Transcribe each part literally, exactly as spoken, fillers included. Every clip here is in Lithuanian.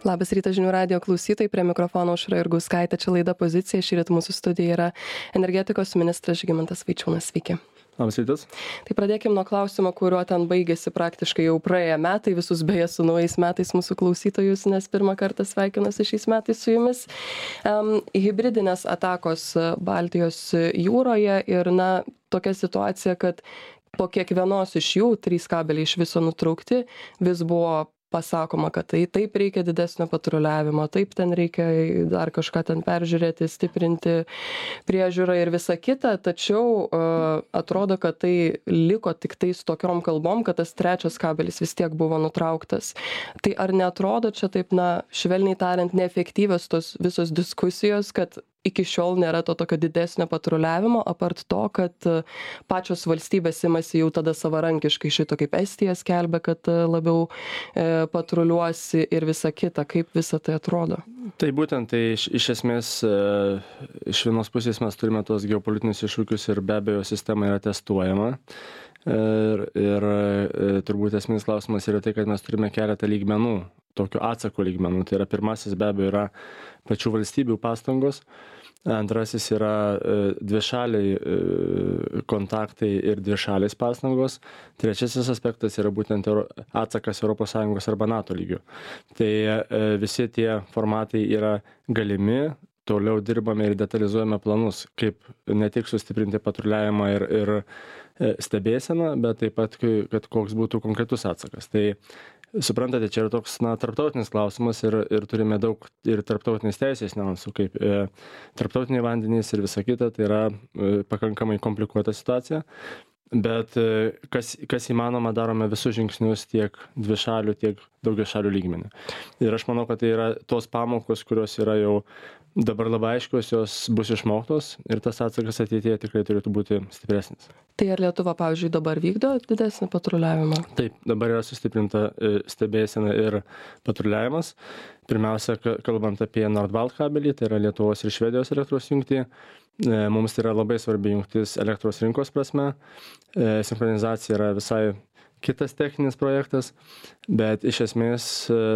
Labas rytas žinių radijo klausytojai, prie mikrofono Aušra Jurgauskaitė, čia laida Pozicija, šįryt mūsų studijoje yra energetikos ministras Žygimantas Vaičiūnas. Sveiki. Labas rytas. Tai pradėkim nuo klausimo, kuriuo ten baigėsi praktiškai jau praėję metai, visus beje su naujais metais mūsų klausytojus, nes pirmą kartą sveikinuosi šiais metais su jumis. Um, hibridinės atakos Baltijos jūroje ir na, tokia situacija, kad po kiekvienos iš jų trys kabeliai iš viso nutraukti, vis buvo pasakoma, kad tai taip reikia didesnio patruliavimo, taip ten reikia dar kažką ten peržiūrėti, stiprinti priežiūrą ir visa kita, tačiau uh, atrodo, kad tai liko tik tais tokiom kalbom, kad tas trečias kabelis vis tiek buvo nutrauktas. Tai ar neatrodo čia taip, na, švelniai tariant, neefektyvios tos visos diskusijos, kad iki šiol nėra to tokio didesnio patruliavimo, apart to, kad pačios valstybės imasi jau tada savarankiškai šito, kaip Estija skelbia, kad labiau e, patruliuosi ir visa kita, kaip visa tai atrodo? Tai būtent, tai iš, iš esmės, e, iš vienos pusės mes turime tos geopolitinius iššūkius ir be abejo sistema yra testuojama. Ir, ir e, turbūt esminis klausimas yra tai, kad mes turime keletą lygmenų, tokių atsako lygmenų. Tai yra pirmasis be abejo yra pačių valstybių pastangos, antrasis yra e, dvišaliai e, kontaktai ir dvišaliais pastangos, trečiasis aspektas yra būtent Euro, atsakas Europos Sąjungos arba NATO lygių. Tai e, visi tie formatai yra galimi. Toliau dirbame ir detalizuojame planus, kaip ne tik sustiprinti patruliavimą ir, ir stebėseną, bet taip pat, kad koks būtų konkretus atsakas. Tai suprantate, čia yra toks na, tarptautinis klausimas ir, ir turime daug ir tarptautinės teisės niuansų, kaip e, tarptautiniai vandenys ir visa kita, tai yra e, pakankamai komplikuota situacija. Bet e, kas, kas įmanoma, darome visus žingsnius tiek dvišalių, tiek daugiašalių lygmenį. Ir aš manau, kad tai yra tos pamokos, kurios yra jau dabar labai aiškios, jos bus išmoktos ir tas atsakas ateityje tikrai turėtų būti stipresnis. Tai ar Lietuva, pavyzdžiui, dabar vykdo didesnį patruliavimą? Taip, dabar yra sustiprinta stebėsena ir patruliavimas. Pirmiausia, kalbant apie Nordbalt kabelį, tai yra Lietuvos ir Švedijos elektros jungtį. Mums tai yra labai svarbi jungtis elektros rinkos prasme. Sinchronizacija yra visai kitas techninis projektas, bet iš esmės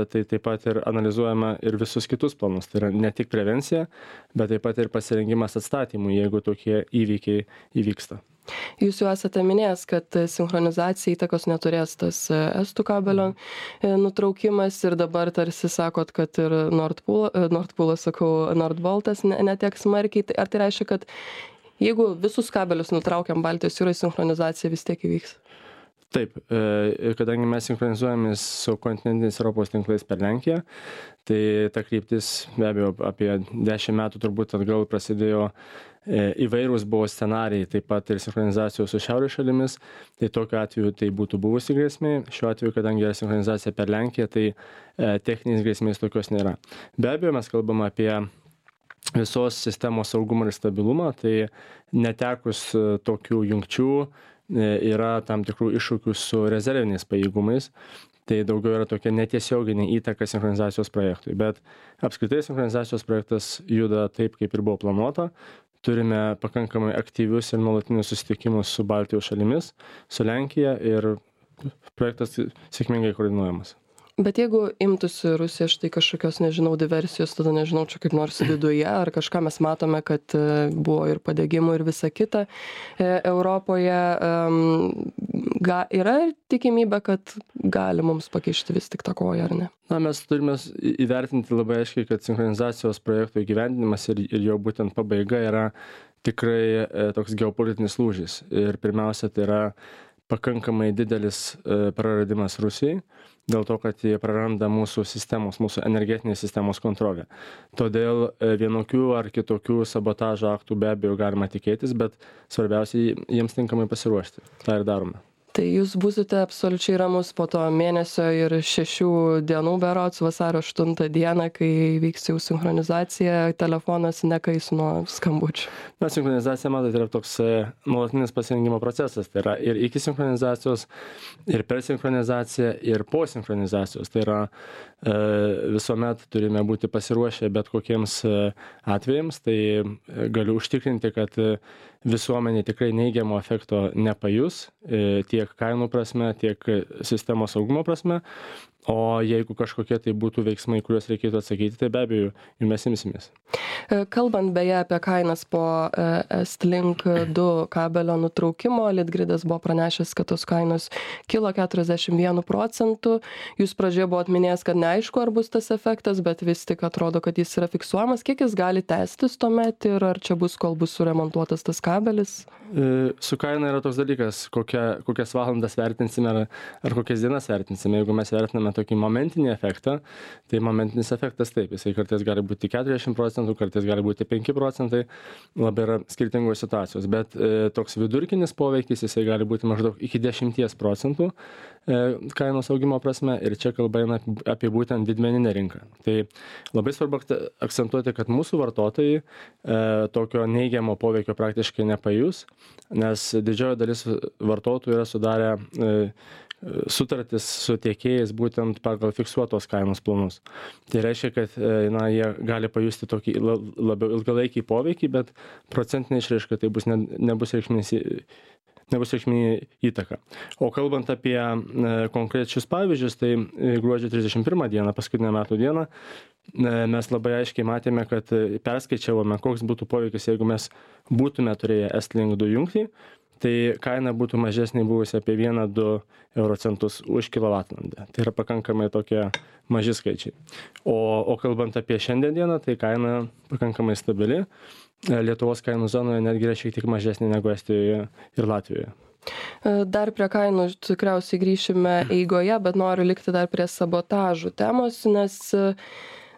tai taip pat ir analizuojama ir visus kitus planus. Tai yra ne tik prevencija, bet taip pat ir pasirengimas atstatymui, jeigu tokie įvykiai įvyksta. Jūs jau esate minėjęs, kad sinchronizacija įtakos neturės tas estų kabelio nutraukimas ir dabar tarsi sakot, kad ir Nordpool, Nordpoolas, sakau, Nordbaltas netiek smarkiai. Ar tai reiškia, kad jeigu visus kabelius nutraukiam Baltijos jūrai, sinchronizacija vis tiek įvyks? Taip, kadangi mes sinchronizuojamės su kontinentiniais Europos tinklais per Lenkiją, tai ta kryptis be abejo apie dešimt metų turbūt atgal prasidėjo įvairūs buvo scenarijai, taip pat ir sinchronizacijos su šiaurės šalimis, tai tokiu atveju tai būtų buvusi grėsmė. Šiuo atveju, kadangi yra sinchronizacija per Lenkiją, tai techninės grėsmės tokios nėra. Be abejo, mes kalbame apie visos sistemos saugumą ir stabilumą, tai netekus tokių jungčių yra tam tikrų iššūkių su rezerviniais pajėgumais. Tai daugiau yra tokia netiesioginė įtaka sinchronizacijos projektui. Bet apskritai sinchronizacijos projektas juda taip, kaip ir buvo planuota. Turime pakankamai aktyvius ir nuolatinius susitikimus su Baltijos šalimis, su Lenkija ir projektas sėkmingai koordinuojamas. Bet jeigu imtųsi Rusija štai kažkokios, nežinau, diversijos, tada nežinau, čia kaip nors viduje, ar kažką mes matome, kad buvo ir padegimų ir visa kita Europoje, ga, yra tikimybė, kad gali mums pakišti vis tik tą koją, ar ne? Na, mes turime įvertinti labai aiškiai, kad sinchronizacijos projekto įgyvendinimas ir, ir jo būtent pabaiga yra tikrai toks geopolitinis lūžis. Ir pirmiausia, tai yra pakankamai didelis praradimas Rusijai, dėl to, kad jie praranda mūsų sistemos, mūsų energetinės sistemos kontrolę. Todėl vienokių ar kitokių sabotažo aktų be abejo galima tikėtis, bet svarbiausia jiems tinkamai pasiruošti. Tai ir darome. Tai jūs būsite absoliučiai ramus po to mėnesio ir šešių dienų berods, vasario aštuntą dieną, kai vyks jau sinchronizacija, telefonas nekais nuo skambučių. Na, sinchronizacija, matote, yra toks nuolatinis pasirengimo procesas. Tai yra ir iki sinchronizacijos, ir per sinchronizaciją, ir po sinchronizacijos. Tai yra e, visuomet turime būti pasiruošę bet kokiems atvejams. Tai galiu užtikrinti, kad visuomenė tikrai neigiamo efekto nepajus tiek kainų prasme, tiek sistemos saugumo prasme. O jeigu kažkokie tai būtų veiksmai, kuriuos reikėtų atsakyti, tai be abejo, jų mes imsimės. Kalbant beje apie kainas po Estlink du kabelio nutraukimo, Litgridas buvo pranešęs, kad tos kainos kilo keturiasdešimt vienu procentu. Jūs pradžioje buvo atminėjęs, kad neaišku, ar bus tas efektas, bet vis tik atrodo, kad jis yra fiksuojamas. Kiek jis gali tęstis tuomet ir ar čia bus, kol bus suremontuotas tas kabelis? Su kaina yra toks dalykas, kokia, kokias valandas vertinsime ar, ar kokias dienas vertinsime. Jeigu mes vertiname tokį momentinį efektą, tai momentinis efektas taip, jisai kartais gali būti keturiasdešimt procentų, kartais gali būti penki procentai, labai yra skirtingos situacijos, bet e, toks vidurkinis poveikis, jisai gali būti maždaug iki dešimties procentų e, kainos augimo prasme ir čia kalba eina apie būtent didmeninę rinką. Tai labai svarbu akcentuoti, kad mūsų vartotojai e, tokio neigiamo poveikio praktiškai nepajus, nes didžioji dalis vartotojų yra sudarę e, sutartis su tiekėjais būtent pagal fiksuotos kainos planus. Tai reiškia, kad na, jie gali pajusti tokį labiau ilgalaikį poveikį, bet procentinė išraiška tai bus ne, nebus reikšminė nebus reikšminė įtaka. O kalbant apie e, konkrečius pavyzdžius, tai gruodžio trisdešimt pirmą dieną, paskutinę metų dieną, e, mes labai aiškiai matėme, kad perskaičiavome, koks būtų poveikis, jeigu mes būtume turėję Estlink du jungtį, tai kaina būtų mažesnė buvusi apie vieną du euro centus už kilovatvalandę. Tai yra pakankamai tokie maži skaičiai. O, o kalbant apie šiandien dieną, tai kaina pakankamai stabili. Lietuvos kainų zonoje netgi yra šiek tiek mažesnė negu Estijoje ir Latvijoje. Dar prie kainų tikriausiai grįšime eigoje, bet noriu likti dar prie sabotažų temos, nes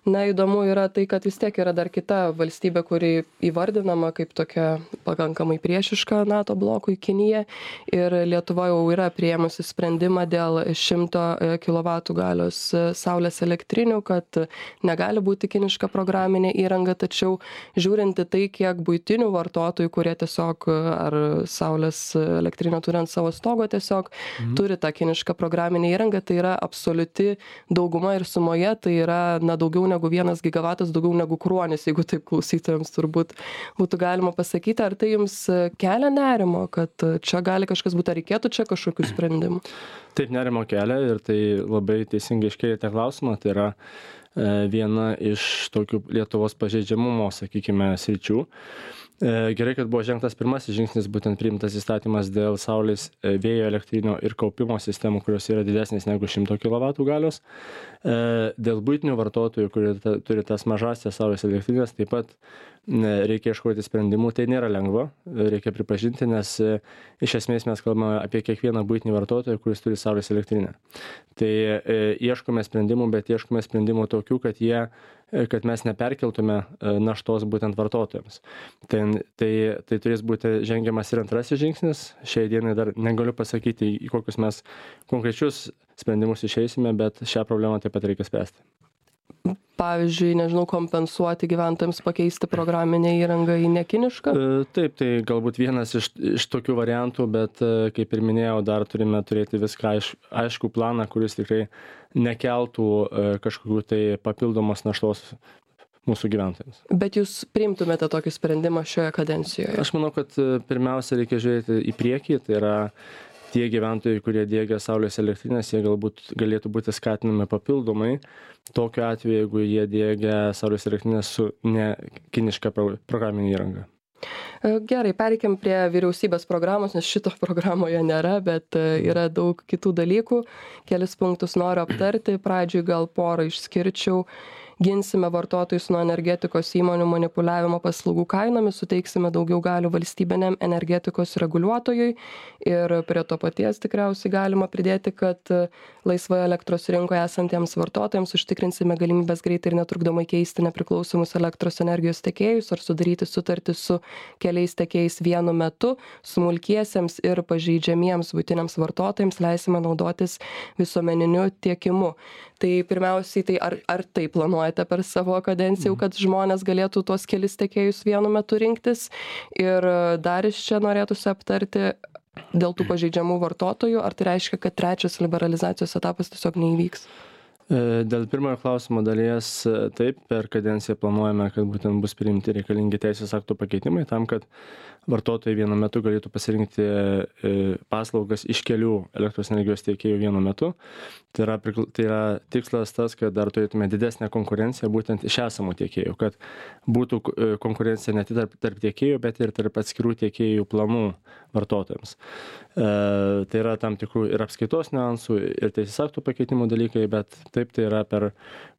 na, įdomu yra tai, kad vis tiek yra dar kita valstybė, kuri įvardinama kaip tokia pakankamai priešiška NATO blokui, Kinija. Ir Lietuva jau yra priėmusi sprendimą dėl šimto kilovatų galios saulės elektrinių, kad negali būti kiniška programinė įranga, tačiau žiūrinti tai, kiek buitinių vartotojų, kurie tiesiog ar saulės elektrinę turi ant savo stogo, tiesiog mhm. turi tą kinišką programinę įrangą, tai yra absoliuti dauguma ir sumoje, tai yra na, daugiau negu negu vienas gigavatas, daugiau negu kruonis, jeigu taip klausytojams turbūt būtų galima pasakyti. Ar tai jums kelia nerimo, kad čia gali kažkas būti, ar reikėtų čia kažkokių sprendimų? Taip, nerimo kelia ir tai labai teisingai iškėlėte klausimą. Tai yra e, viena iš tokių Lietuvos pažeidžiamumo, sakykime, sričių. Gerai, kad buvo žengtas pirmasis žingsnis, būtent priimtas įstatymas dėl saulės, vėjo elektrinio ir kaupimo sistemų, kurios yra didesnės negu šimto kilovatų galios. Dėl buitinių vartotojų, kurie turi tas mažasias saulės elektrinės, taip pat reikia ieškoti sprendimų. Tai nėra lengva, reikia pripažinti, nes iš esmės mes kalbame apie kiekvieną buitinį vartotoją, kuris turi saulės elektrinę. Tai ieškome sprendimų, bet ieškome sprendimų tokių, kad jie kad mes neperkeltume naštos būtent vartotojams. Tai, tai, tai turės būti žengiamas ir antrasis žingsnis. Šiai dienai dar negaliu pasakyti, į kokius mes konkrečius sprendimus išeisime, bet šią problemą taip pat reikia spręsti. Pavyzdžiui, nežinau, kompensuoti gyventojams, pakeisti programinę įrangą į nekinišką? Taip, tai galbūt vienas iš, iš tokių variantų, bet kaip ir minėjau, dar turime turėti viską aiš, aiškų planą, kuris tikrai nekeltų kažkokių tai papildomos naštos mūsų gyventojams. Bet jūs priimtumėte tokį sprendimą šioje kadencijoje? Aš manau, kad pirmiausia reikia žiūrėti į priekį, tai yra tie gyventojai, kurie diegia saulės elektrinės, jie galbūt galėtų būti skatinami papildomai. Tokiu atveju, jeigu jie diegia saulės elektrinės su ne kiniška programinė įranga. Gerai, pereikim prie vyriausybės programos, nes šito programoje nėra, bet yra daug kitų dalykų. Kelis punktus noriu aptarti. Pradžiui gal porą išskirčiau. Ginsime vartotojus nuo energetikos įmonių manipuliavimo paslaugų kainomis, suteiksime daugiau galių valstybiniam energetikos reguliuotojui ir prie to paties tikriausiai galima pridėti, kad laisvoje elektros rinkoje esantiems vartotojams užtikrinsime galimybės greitai ir netrukdomai keisti nepriklausomus elektros energijos tiekėjus ar sudaryti sutartį su keliais tiekėjais vienu metu. Smulkiesiems ir pažeidžiamiems buitiniams vartotojams leisime naudotis visuomeniniu tiekimu. Tai pirmiausiai, tai ar, ar tai planuojate per savo kadenciją, kad žmonės galėtų tuos kelis tiekėjus vienu metu rinktis? Ir dar iš čia norėtųsi aptarti dėl tų pažeidžiamų vartotojų, ar tai reiškia, kad trečias liberalizacijos etapas tiesiog neįvyks? Dėl pirmojo klausimo dalies taip, per kadenciją planuojame, kad būtent bus priimti reikalingi teisės aktų pakeitimai tam, kad vartotojai vienu metu galėtų pasirinkti paslaugas iš kelių elektros energijos tiekėjų vienu metu. Tai yra, tai yra tikslas tas, kad dar turėtume didesnę konkurenciją būtent iš esamų tiekėjų, kad būtų konkurencija ne tik tarp, tarp tiekėjų, bet ir tarp atskirų tiekėjų planų vartotojams. E, tai yra tam tikrų ir apskaitos niuansų, ir teisės aktų pakeitimų dalykai, bet taip tai yra per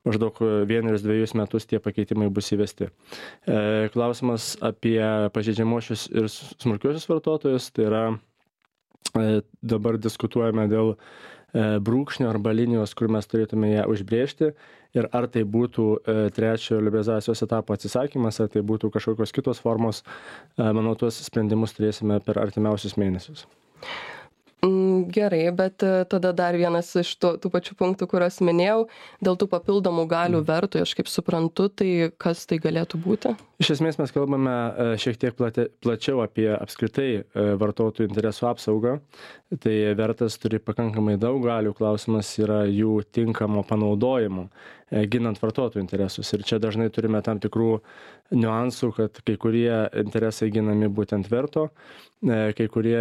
maždaug vienerius dviejus metus tie pakeitimai bus įvesti. E, klausimas apie pažeidžiamuosius ir smulkiuosius vartotojus, tai yra e, dabar diskutuojame dėl e, brūkšnio arba linijos, kur mes turėtume ją užbrėžti ir ar tai būtų e, trečiojo liberalizacijos etapo atsisakymas, ar tai būtų kažkokios kitos formos, e, manau, tuos sprendimus turėsime per artimiausius mėnesius. Gerai, bet tada dar vienas iš tų, tų pačių punktų, kuriuos minėjau, dėl tų papildomų galių vertui, aš kaip suprantu, tai kas tai galėtų būti? Iš esmės mes kalbame šiek tiek plate, plačiau apie apskritai vartotojų interesų apsaugą. Tai vertas turi pakankamai daug galių, klausimas yra jų tinkamo panaudojimo, ginant vartotojų interesus. Ir čia dažnai turime tam tikrų niuansų, kad kai kurie interesai ginami būtent verto, kai kurie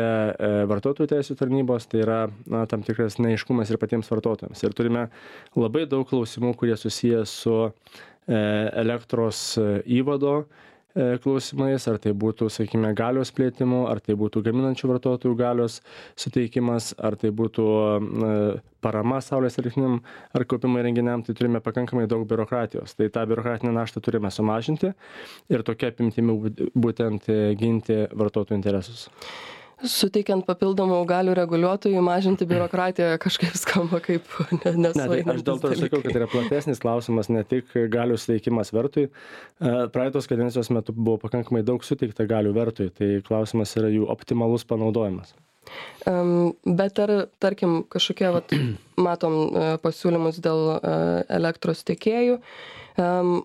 vartotojų teisių tarnybos, tai yra na, tam tikras neaiškumas ir patiems vartotojams. Ir turime labai daug klausimų, kurie susiję su elektros įvado klausimais, ar tai būtų, sakykime, galios plėtimu, ar tai būtų gaminančių vartotojų galios suteikimas, ar tai būtų parama saulės elektriniam ar kaupimo įrenginiam, tai turime pakankamai daug biurokratijos. Tai tą biurokratinę naštą turime sumažinti ir tokia apimtimi būtent ginti vartotojų interesus. Suteikiant papildomų galių reguliuotojui, mažinti biurokratiją kažkaip skamba kaip nesueinantis. Ne, tai aš dėl to ir sakiau, kad tai yra platesnis klausimas, ne tik galių suteikimas vertui. Praeitos kadencijos metu buvo pakankamai daug suteikta galių vertui, tai klausimas yra jų optimalus panaudojimas. Um, bet ar, tarkim, kažkokie, vat, matom pasiūlymus dėl elektros tiekėjų, um,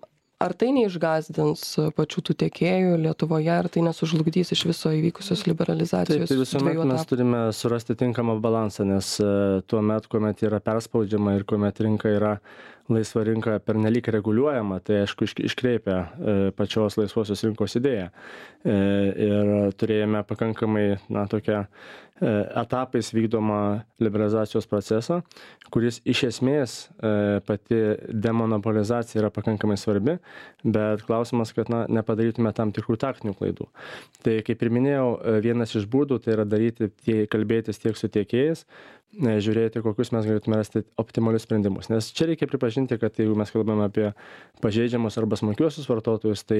ar tai neišgąsdins pačių tų tiekėjų Lietuvoje, ar tai nesužlugdys iš viso įvykusios liberalizacijos? Taip, tai visuomet mes turime surasti tinkamą balansą, nes tuo metu, kuomet yra perspaudžiama ir kuomet rinka yra laisva rinka pernelyg reguliuojama, tai aišku iškreipia pačios laisvosios rinkos idėją. Ir turėjome pakankamai, na, tokią etapais vykdomą liberalizacijos procesą, kuris iš esmės pati demonopolizacija yra pakankamai svarbi, bet klausimas, kad na, nepadarytume tam tikrų taktinių klaidų. Tai kaip ir minėjau, vienas iš būdų tai yra daryti, tie, kalbėtis tiek su tiekėjais, žiūrėti, kokius mes galėtume rasti optimalius sprendimus. Nes čia reikia pripažinti, kad jeigu mes kalbame apie pažeidžiamus arba smulkiuosius vartotojus, tai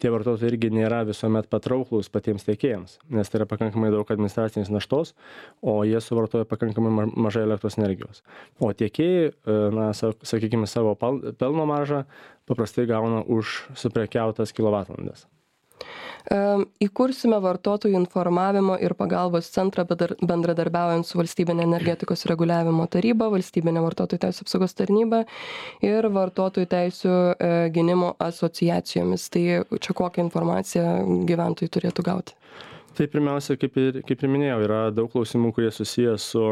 tie vartotojai irgi nėra visuomet patrauklūs patiems tiekėjams, nes tai yra pakankamai daug administracinės naštos, o jie suvartoja pakankamai mažai elektros energijos. O tiekėjai, na, sakykime, savo pelno maržą paprastai gauna už suprekiautas kilovatvalandes. Įkursime vartotojų informavimo ir pagalbos centrą bendradarbiaujant su Valstybinė energetikos reguliavimo taryba, Valstybinė vartotojų teisių apsaugos tarnyba ir vartotojų teisių gynimo asociacijomis. Tai čia kokią informaciją gyventojai turėtų gauti? Tai pirmiausia, kaip ir, kaip ir minėjau, yra daug klausimų, kurie susiję su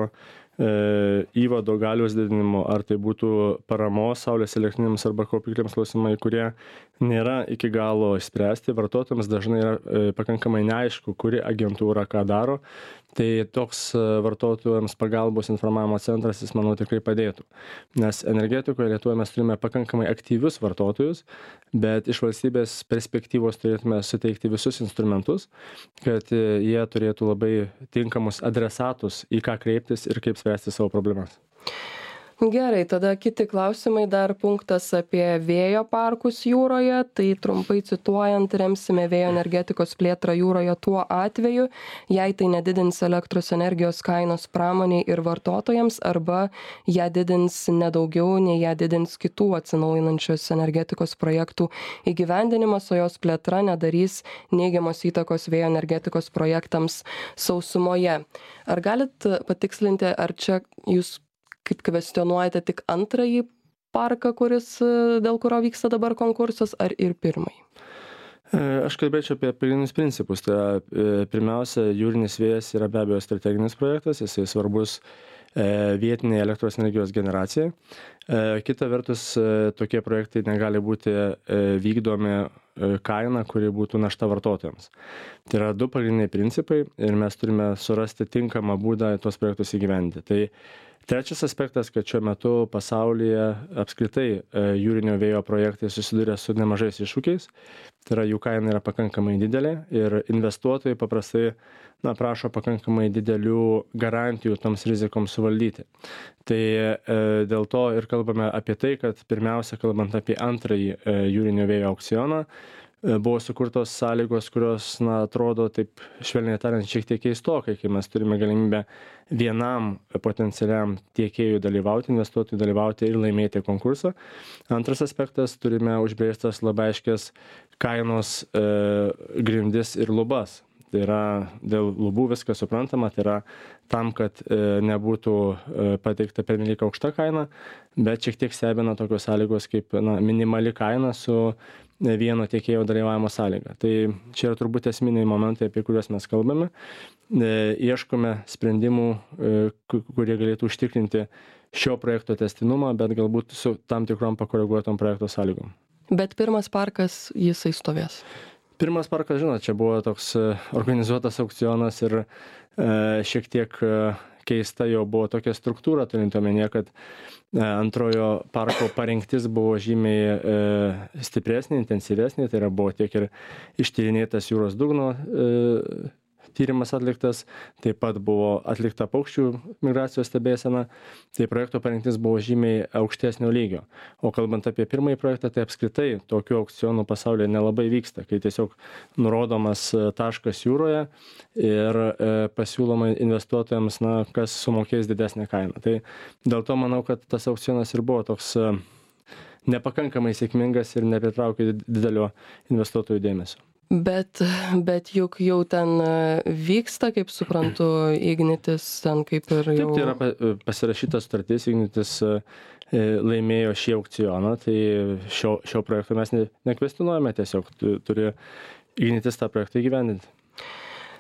įvado galios didinimu, ar tai būtų paramos saulės elektrinėms arba kaupikliams klausimai, kurie nėra iki galo išspręsti. Vartotojams dažnai yra pakankamai neaišku, kuri agentūra ką daro. Tai toks vartotojams pagalbos informavimo centras, jis, manau, tikrai padėtų. Nes energetikoje Lietuvoje mes turime pakankamai aktyvius vartotojus, bet iš valstybės perspektyvos turėtume suteikti visus instrumentus, kad jie turėtų labai tinkamus adresatus, į ką kreiptis ir kaip spręsti savo problemas. Gerai, tada kiti klausimai, dar punktas apie vėjo parkus jūroje, tai trumpai cituojant, remsime vėjo energetikos plėtrą jūroje tuo atveju, jei tai nedidins elektros energijos kainos pramoniai ir vartotojams, arba ją didins nedaugiau, nei ją didins kitų atsinaujinančios energetikos projektų įgyvendinimas, o jos plėtra nedarys neigiamos įtakos vėjo energetikos projektams sausumoje. Ar galit patikslinti, ar čia jūs kaip kvestionuojate tik antrąjį parką, kuris, dėl kurio vyksta dabar konkursas, ar ir pirmąjį? Aš kalbėčiau apie pagrindinius principus. Tai pirmiausia, jūrinis vėjas yra be abejo strateginis projektas, jisai svarbus vietiniai elektros energijos generacijai. Kita vertus, tokie projektai negali būti vykdomi kaina, kuri būtų našta vartotojams. Tai yra du pagrindiniai principai ir mes turime surasti tinkamą būdą tuos projektus įgyvendinti. Tai trečias aspektas, kad šiuo metu pasaulyje apskritai jūrinio vėjo projektai susiduria su nemažais iššūkiais. Tai yra jų kaina yra pakankamai didelė ir investuotojai paprastai na, prašo pakankamai didelių garantijų toms rizikoms suvaldyti. Tai e, dėl to ir kalbame apie tai, kad pirmiausia, kalbant apie antrąjį e, jūrinio vėjo aukcioną, e, buvo sukurtos sąlygos, kurios, na, atrodo taip švelniai tariant šiek tiek keistokai, kai mes turime galimybę vienam potencialiam tiekėjui dalyvauti, investuotojui dalyvauti ir laimėti konkursą. Antras aspektas, turime užbrėžtas labai aiškias kainos e, grindis ir lubas. Tai yra dėl lubų viskas suprantama, tai yra tam, kad e, nebūtų e, pateikta pernelyg aukšta kaina, bet šiek tiek stebina tokios sąlygos kaip na, minimali kaina su vieno tiekėjo dalyvavimo sąlyga. Tai čia yra turbūt esminiai momentai, apie kuriuos mes kalbame. E, ieškome sprendimų, e, kurie galėtų užtikrinti šio projekto testinumą, bet galbūt su tam tikrom pakoreguotom projekto sąlygom. Bet pirmas parkas jisai stovės. Pirmas parkas, žinot, čia buvo toks organizuotas aukcionas ir e, šiek tiek keista jau buvo tokia struktūra, turint omenyje, kad e, antrojo parko parengtis buvo žymiai e, stipresnė, intensyvesnė, tai yra buvo tiek ir ištyrinėtas jūros dugno e, tyrimas atliktas, taip pat buvo atlikta paukščių migracijos stebėsena, tai projekto parengtis buvo žymiai aukštesnio lygio. O kalbant apie pirmąjį projektą, tai apskritai tokių aukcionų pasaulyje nelabai vyksta, kai tiesiog nurodomas taškas jūroje ir pasiūloma investuotojams, na, kas sumokės didesnę kainą. Tai dėl to manau, kad tas aukcionas ir buvo toks nepakankamai sėkmingas ir nepritraukė didelio investuotojų dėmesio. Bet, bet juk jau ten vyksta, kaip suprantu, Ignitis ten kaip ir jau... Taip, tai yra pasirašytas sutartis, Ignitis laimėjo šį aukcioną, tai šio, šio projekto mes ne, nekvestionuojame, tiesiog turi Ignitis tą projektą įgyvendinti.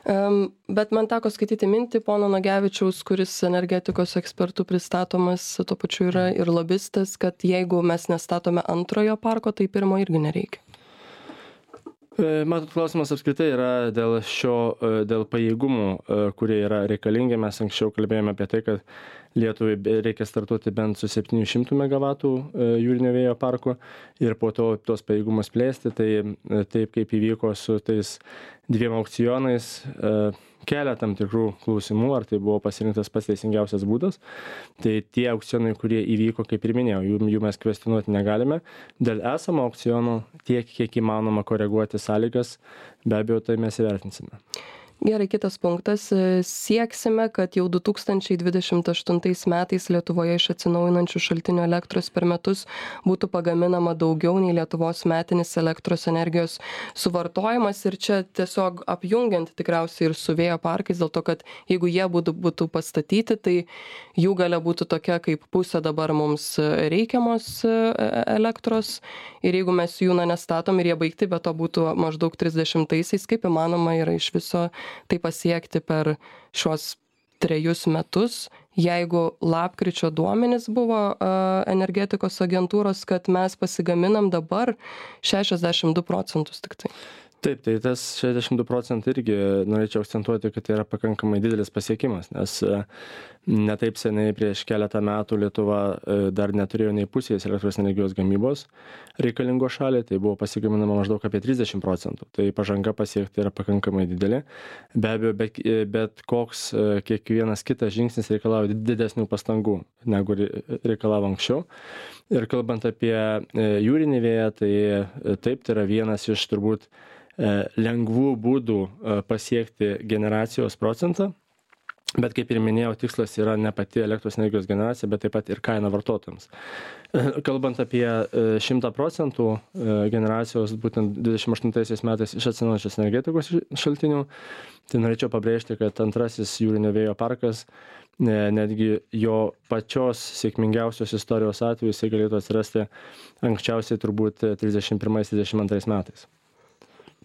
Um, bet man teko skaityti mintį pono Nagevičiaus, kuris energetikos ekspertų pristatomas, tuo pačiu yra ir lobistas, kad jeigu mes nestatome antrojo parko, tai pirmo irgi nereikia. Matot, klausimas apskritai yra dėl šio, dėl pajėgumų, kurie yra reikalingi. Mes anksčiau kalbėjome apie tai, kad Lietuvai reikia startuoti bent su septynių šimtų megavatų jūrinio vėjo parku ir po to tos pajėgumus plėsti. Tai taip kaip įvyko su tais dviem aukcionais, kelia tam tikrų klausimų, ar tai buvo pasirinktas pats teisingiausias būdas. Tai tie aukcionai, kurie įvyko, kaip ir minėjau, jų, jų mes kvestionuoti negalime. Dėl esamo aukciono tiek, kiek įmanoma koreguoti sąlygas, be abejo, tai mes įvertinsime. Gerai, kitas punktas. Sieksime, kad jau du tūkstančiai dvidešimt aštuntais metais Lietuvoje iš atsinaujinančių šaltinių elektros per metus būtų pagaminama daugiau nei Lietuvos metinis elektros energijos suvartojimas. Ir čia tiesiog apjungiant tikriausiai ir su vėjo parkais, dėl to, kad jeigu jie būtų, būtų pastatyti, tai jų galia būtų tokia, kaip pusė dabar mums reikiamos elektros. Ir jeigu mes jų na, nestatom ir jie baigti, bet to būtų maždaug trisdešimtaisiais, kaip įmanoma yra iš viso tai pasiekti per šios trejus metus, jeigu lapkričio duomenys buvo uh, energetikos agentūros, kad mes pasigaminam dabar šešiasdešimt du procentus tik tai. Taip, tai tas šešiasdešimt du procentai irgi norėčiau akcentuoti, kad tai yra pakankamai didelis pasiekimas, nes ne taip seniai prieš keletą metų Lietuva dar neturėjo nei pusės elektros energijos gamybos reikalingo šaliai, tai buvo pasigaminama maždaug apie trisdešimt procentų. Tai pažanga pasiekti yra pakankamai didelė. Be abejo, bet, bet koks kiekvienas kitas žingsnis reikalauja didesnių pastangų, negu reikalavo anksčiau. Ir kalbant apie jūrinį vėją, tai taip, tai yra vienas iš turbūt lengvų būdų pasiekti generacijos procentą, bet kaip ir minėjau, tikslas yra ne pati elektros energijos generacija, bet taip pat ir kaina vartotojams. Kalbant apie šimtą procentų generacijos būtent dvidešimt aštuntaisiais metais iš atsinaujinančios energetikos šaltinių, tai norėčiau pabrėžti, kad antrasis jūrinio vėjo parkas, netgi jo pačios sėkmingiausios istorijos atveju, jisai galėtų atsirasti anksčiausiai turbūt trisdešimt pirmais trisdešimt antrais metais.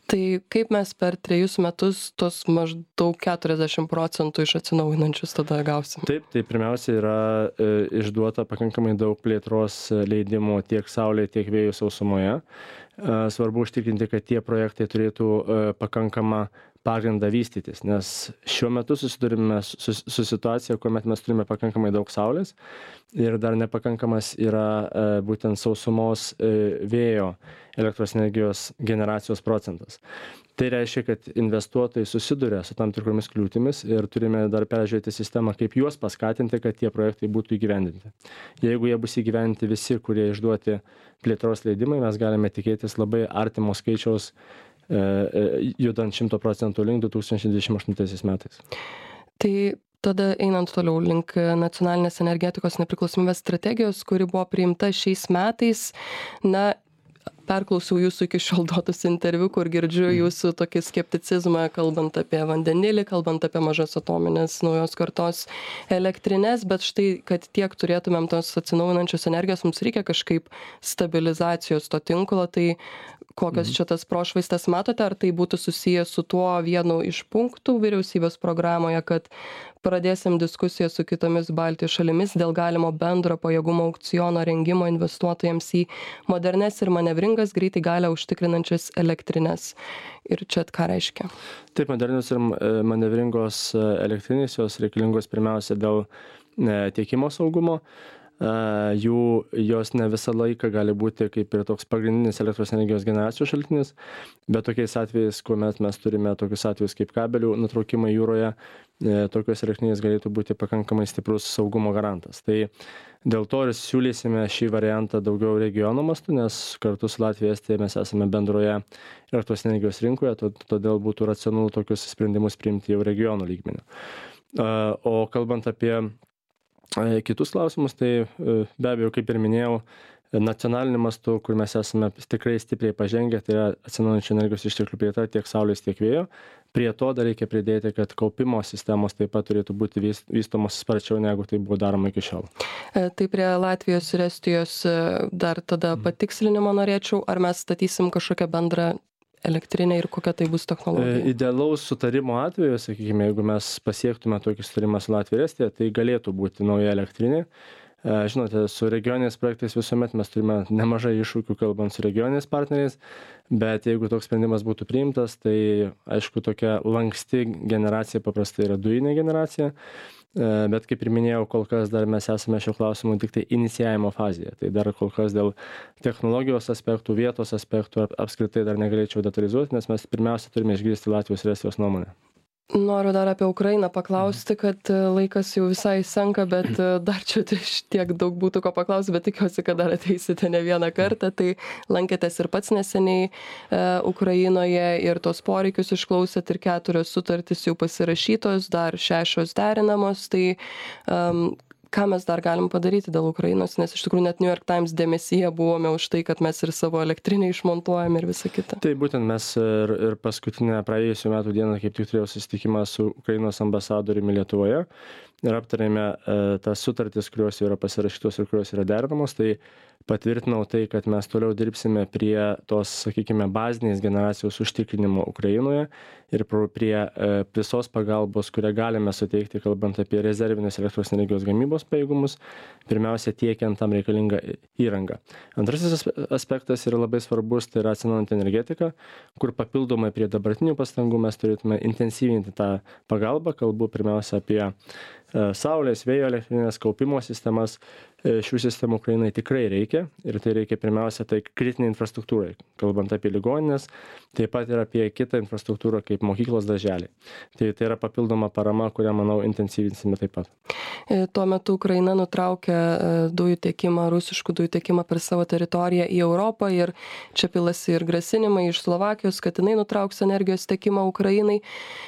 Tai kaip mes per trejus metus tos maždaug keturiasdešim procentų iš atsinaujinančius tada gausim? Taip, tai pirmiausia yra e, išduota pakankamai daug plėtros leidimų tiek saulė, tiek vėjų sausumoje. E, svarbu užtikrinti, kad tie projektai turėtų e, pakankamą pagrindą vystytis, nes šiuo metu susidurime su, su situacija, kuomet mes turime pakankamai daug saulės ir dar nepakankamas yra e, būtent sausumos e, vėjo elektros energijos generacijos procentas. Tai reiškia, kad investuotojai susiduria su tam tikromis kliūtimis ir turime dar peržiūrėti sistemą, kaip juos paskatinti, kad tie projektai būtų įgyvendinti. Jeigu jie bus įgyvendinti visi, kurie išduoti plėtros leidimai, mes galime tikėtis labai artimo skaičiaus judant šimto procentų link du tūkstančiai dvidešimt aštuntaisiais metais. Tai tada einant toliau link nacionalinės energetikos nepriklausomybės strategijos, kuri buvo priimta šiais metais, na, perklausiau jūsų iki šiol duotus interviu, kur girdžiu jūsų tokį skepticizmą, kalbant apie vandenilį, kalbant apie mažas atominės naujos kartos elektrinės, bet štai, kad tiek turėtumėm tos atsinaujinančios energijos, mums reikia kažkaip stabilizacijos to tinklo, tai kokias čia tas prošvaistas matote, ar tai būtų susijęs su tuo vienu iš punktų vyriausybės programoje, kad pradėsim diskusiją su kitomis Baltijos šalimis dėl galimo bendro pajėgumo aukciono rengimo investuotojams į modernes ir manevringas greitai galią užtikrinančias elektrinės. Ir čia ką reiškia? Taip, modernios ir manevringos elektrinės, jos reikalingos pirmiausia dėl tiekimo saugumo. Jų, jos ne visą laiką gali būti kaip ir toks pagrindinis elektros energijos generacijos šaltinis, bet tokiais atvejais, kuomet mes turime tokius atvejus kaip kabelių nutraukimai jūroje, tokios elektrinės galėtų būti pakankamai stiprus saugumo garantas. Tai dėl to ir siūlysime šį variantą daugiau regiono mastu, nes kartu su Latvija Estija mes esame bendroje elektros energijos rinkoje, todėl būtų racionalu tokius sprendimus priimti jau regionų lygmeniu. O kalbant apie kitus klausimus, tai be abejo, kaip ir minėjau, nacionaliniu mastu, kur mes esame tikrai stipriai pažengę, tai yra atsinaujinančių energijos išteklių plėtra tiek saulės, tiek vėjo. Prie to dar reikia pridėti, kad kaupimo sistemos taip pat turėtų būti vystomos sparčiau, negu tai buvo daroma iki šiol. Tai prie Latvijos ir Estijos dar tada patikslinimo norėčiau, ar mes statysim kažkokią bendrą elektrinė ir kokia tai bus technologija? Idealaus sutarimo atveju, sakykime, jeigu mes pasiektume tokį sutarimą su Latvija ir Estija, tai galėtų būti nauja elektrinė. Žinote, su regioniniais projektais visuomet mes turime nemažai iššūkių kalbant su regioniniais partneriais, bet jeigu toks sprendimas būtų priimtas, tai aišku, tokia lanksti generacija paprastai yra dujinė generacija, bet kaip ir minėjau, kol kas dar mes esame šio klausimu tik tai inicijavimo fazėje. Tai dar kol kas dėl technologijos aspektų, vietos aspektų apskritai dar negalėčiau detalizuoti, nes mes pirmiausia turime išgirsti Latvijos ir Estijos nuomonę. Noriu dar apie Ukrainą paklausti, kad laikas jau visai senka, bet dar čia tiek daug būtų ko paklausti, bet tikiuosi, kad dar ateisite ne vieną kartą. Tai lankėtės ir pats neseniai e, Ukrainoje ir tos poreikius išklausėt ir keturios sutartys jau pasirašytos, dar šešios derinamos. Tai um, ką mes dar galim padaryti dėl Ukrainos, nes iš tikrųjų net New York Times dėmesyje buvome už tai, kad mes ir savo elektrinę išmontuojam ir visą kitą. Tai būtent mes ir, ir paskutinę praėjusių metų dieną kaip tik turėjau susitikimą su Ukrainos ambasadoriumi Lietuvoje ir aptarėme e, tas sutartis, kurios yra pasirašytos ir kurios yra derinamos. Tai patvirtinau tai, kad mes toliau dirbsime prie tos, sakykime, bazinės generacijos užtikrinimo Ukrainoje ir prie e, visos pagalbos, kurią galime suteikti, kalbant apie rezervinės elektros energijos gamybos pajėgumus, pirmiausia tiekiant tam reikalingą įrangą. Antrasis aspektas yra labai svarbus, tai yra atsinaujinanti energetika, kur papildomai prie dabartinių pastangų mes turėtume intensyvinti tą pagalbą, kalbu pirmiausia apie e, saulės, vėjo elektrinės, kaupimo sistemas. Šių sistemų Ukrainai tikrai reikia ir tai reikia pirmiausia tai kritinė infrastruktūrai, kalbant apie ligoninės, taip pat ir apie kitą infrastruktūrą kaip mokyklos darželiai. Tai, tai yra papildoma parama, kurią, manau, intensyvinsime taip pat. Tuo metu Ukraina nutraukė dujų tiekimą, rusiškų dujų tiekimą per savo teritoriją į Europą ir čia pilasi ir grasinimai iš Slovakijos, kad jinai nutrauks energijos tiekimą Ukrainai,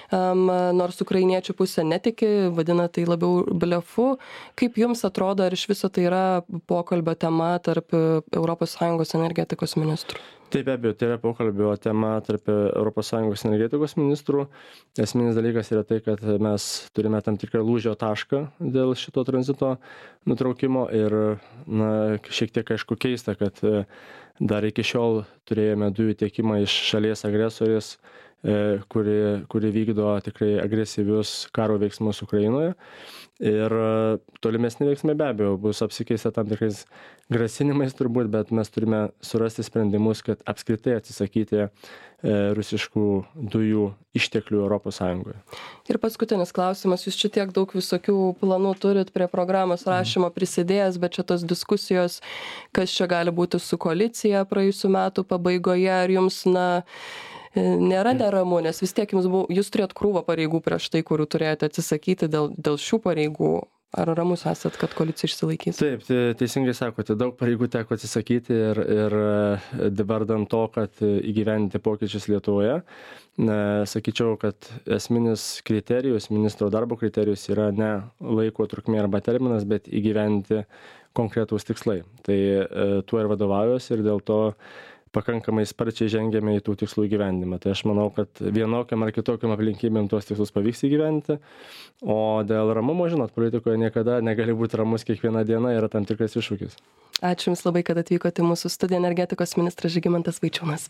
um, nors ukrainiečių pusė netiki, vadina tai labiau labiau blefu. Kaip jums atrodo, ar iš viso tai yra pokalbio tema tarp Europos Sąjungos energetikos ministrų? Taip, be abejo, tai yra pokalbio tema tarp Europos Sąjungos energetikos ministrų. Esminis dalykas yra tai, kad mes turime tam tikrą lūžio tašką dėl šito tranzito nutraukimo ir na, šiek tiek aišku keista, kad dar iki šiol turėjome dujų tiekimą iš šalies agresorės, kuri, kuri vykdo tikrai agresyvius karo veiksmus Ukrainoje. Ir tolimesni veiksmai be abejo bus apsikeista tam tikrais grasinimais turbūt, bet mes turime surasti sprendimus, kad apskritai atsisakyti e, rusiškų dujų išteklių Europos Sąjungoje. Ir paskutinis klausimas, jūs čia tiek daug visokių planų turit prie programos rašymo prisidėjęs, bet čia tos diskusijos, kas čia gali būti su koalicija praėjusių metų pabaigoje, ar jums, na, nėra neramu, nes vis tiek jums buvo, jūs turėjot krūvą pareigų prieš tai, kurių turėjote atsisakyti dėl, dėl šių pareigų. Ar ramus esat, kad koalicija išsilaikys? Taip, teisingai sakote, daug pareigų teko atsisakyti ir, ir vardan to, kad įgyvendinti pokyčius Lietuvoje. Sakyčiau, kad esminis kriterijus, ministro darbo kriterijus yra ne laiko trukmė arba terminas, bet įgyvendinti konkretūs tikslai. Tai tuo ir vadovaujuosi ir dėl to pakankamai sparčiai žengėme į tų tikslų įgyvendimą. Tai aš manau, kad vienokiam ar kitokiam aplinkybėm tuos tikslus pavyks įgyvendinti. O dėl ramumo, žinot, politikoje niekada negali būti ramus, kiekviena diena yra tam tikras iššūkis. Ačiū Jums labai, kad atvykote į mūsų studiją, energetikos ministras Žygimantas Vaičiūnas.